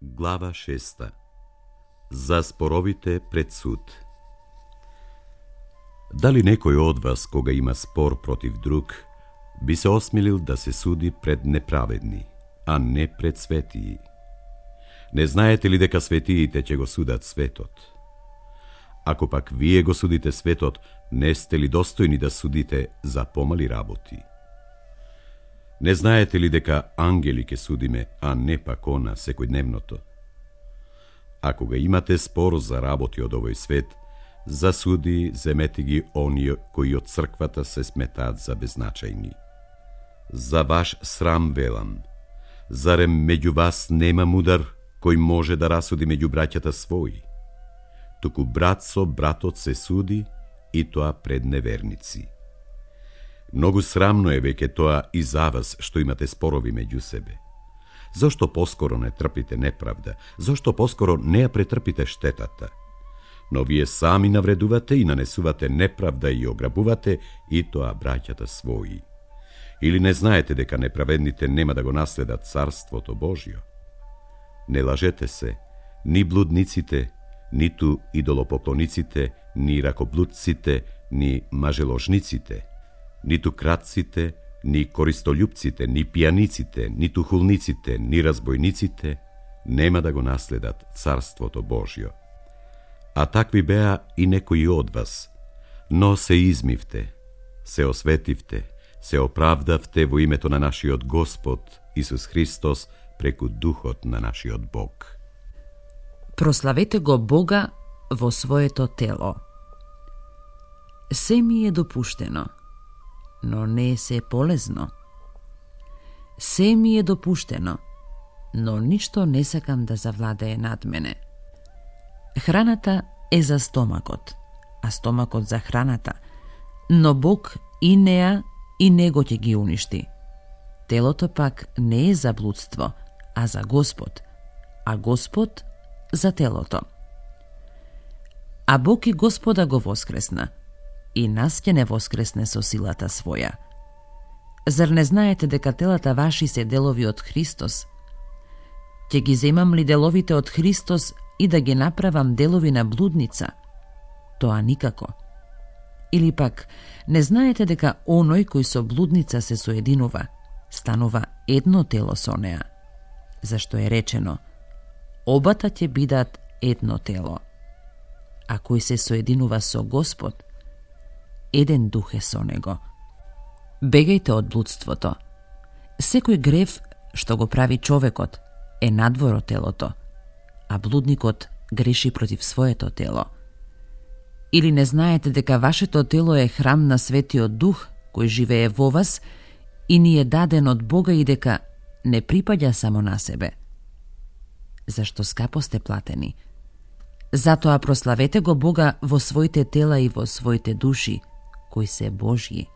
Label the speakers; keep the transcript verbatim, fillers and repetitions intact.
Speaker 1: Глава шеста. За споровите пред суд. Дали некој од вас, кога има спор против друг, би се осмелил да се суди пред неправедни, а не пред светии? Не знаете ли дека светиите ќе го судат светот? Ако пак вие го судите светот, не сте ли достојни да судите за помали работи? Не знаете ли дека ангели ќе судиме, а не пак она секојдневното? Ако ga имате спор за работи од овој свет, за суди земете ги оние кои од црквата се сметаат за беззначајни. За ваш срам велам, зарем меѓу вас нема мудар кој може да расуди меѓу браќата своји? Туку брат со братот се суди, и тоа пред неверници. Многу срамно е веќе тоа и за вас што имате спорови меѓу себе. Зошто поскоро не трпите неправда? Зошто поскоро не ја претрпите штетата? Но вие сами навредувате и нанесувате неправда и ограбувате, и тоа браќата своји. Или не знаете дека неправедните нема да го наследат царството Божјо? Не лажете се, ни блудниците, ниту идолопоклониците, ни ракоблудците, ни мажеложниците, ниту кратците, ни користолюбците, ни пијаниците, ниту хулниците, ни разбојниците нема да го наследат царството Божјо. А такви беа и некои од вас, но се измивте, се осветивте, се оправдавте во името на нашиот Господ Исус Христос преку Духот на нашиот Бог.
Speaker 2: Прославете го Бога во своето тело. Се ми е допуштено, но не е се полезно. Се ми е допуштено, но ништо не сакам да завладее над мене. Храната е за стомакот, а стомакот за храната, но Бог и неа и него ќе ги уништи. Телото пак не е за блудство, а за Господ, а Господ за телото. А Бог и Господа го воскресна, и нас ќе не воскресне со силата своја. Зар не знаете дека телата ваши се делови од Христос? Ќе ги земам ли деловите од Христос и да ги направам делови на блудница? Тоа никако. Или пак, не знаете дека оној кој со блудница се соединува, станува едно тело со неа? Зашто е речено, обата ќе бидат едно тело. А кој се соединува со Господ, еден дух е со него. Бегајте од блудството. Секој грев што го прави човекот е надвор од телото, а блудникот греши против своето тело. Или не знаете дека вашето тело е храм на Светиот Дух кој живее во вас и ни е даден од Бога и дека не припаѓа само на себе? Зашто скапо сте платени. Затоа прославете го Бога во своите тела и во своите души, кои се Божји.